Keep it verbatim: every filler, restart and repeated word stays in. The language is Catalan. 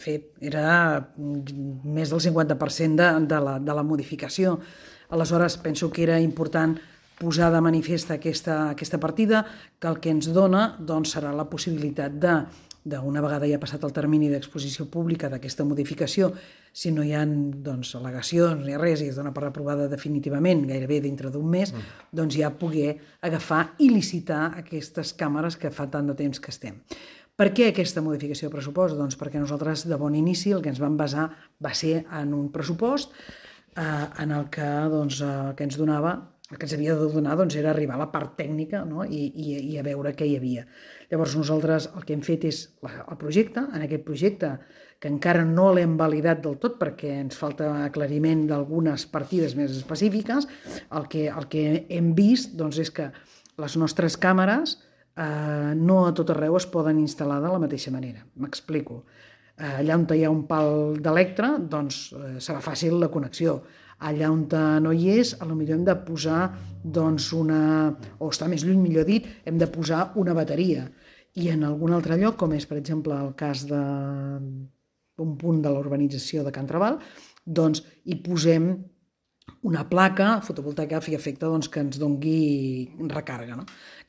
fet, era més del cinquanta per cent de, de, la, de la modificació. Aleshores, penso que era important posar de manifest aquesta, aquesta partida, que el que ens dona doncs, serà la possibilitat de, d'una vegada ja passat el termini d'exposició pública d'aquesta modificació, si no hi ha doncs, al·legacions ni res i es dona per aprovada definitivament, gairebé dintre d'un mes, mm. doncs ja poder agafar i licitar aquestes càmeres que fa tant de temps que estem. Per què aquesta modificació de pressupost? Doncs perquè nosaltres de bon inici el que ens vam basar va ser en un pressupost eh, en el que, doncs, eh, que ens donava, el que ens havia de donar doncs, era arribar a la part tècnica, no? I, i, i a veure què hi havia. Llavors nosaltres el que hem fet és la, el projecte, en aquest projecte que encara no l'hem validat del tot perquè ens falta aclariment d'algunes partides més específiques, el que, el que hem vist doncs, és que les nostres càmeres eh, no a tot arreu es poden instal·lar de la mateixa manera. M'explico. Eh, allà on hi ha un pal d'electre, doncs eh, serà fàcil la connexió. Allà on no hi és, potser hem de posar doncs, una, o està més lluny, millor dit, hem de posar una bateria. I en algun altre lloc, com és per exemple el cas d'un punt de la urbanització de Can Trabal, doncs hi posem una placa fotovoltaica a fi i efecte doncs, que ens doni recàrrega. No?